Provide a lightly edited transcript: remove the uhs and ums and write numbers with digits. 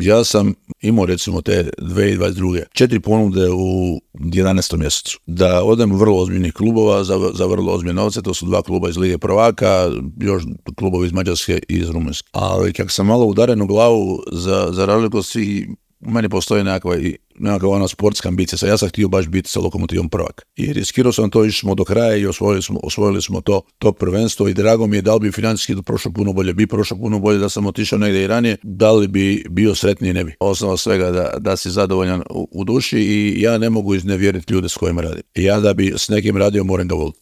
Ja sam imao recimo te 2022. 4 ponude u 11. mjesecu. Da odem u vrlo ozbiljnih klubova za vrlo ozbiljne novce, to su 2 kluba iz Lige prvaka, još klubovi iz Mađarske i iz Rumunjske. Ali kako sam malo udaren u glavu za razliku od svih, u meni postoji nekakva ona sportska ambicija. Ja sam htio baš biti sa Lokomotivom prvak. I riskirao sam to, išli smo do kraja i osvojili smo to prvenstvo i drago mi je, da li bi financijski prošlo puno bolje, da sam otišao negdje i ranije, da li bi bio sretniji, ne bi. Osnova svega da si zadovoljan u duši i ja ne mogu iznevjeriti ljude s kojima radim. Ja da bi s nekim radio moram ga voliti.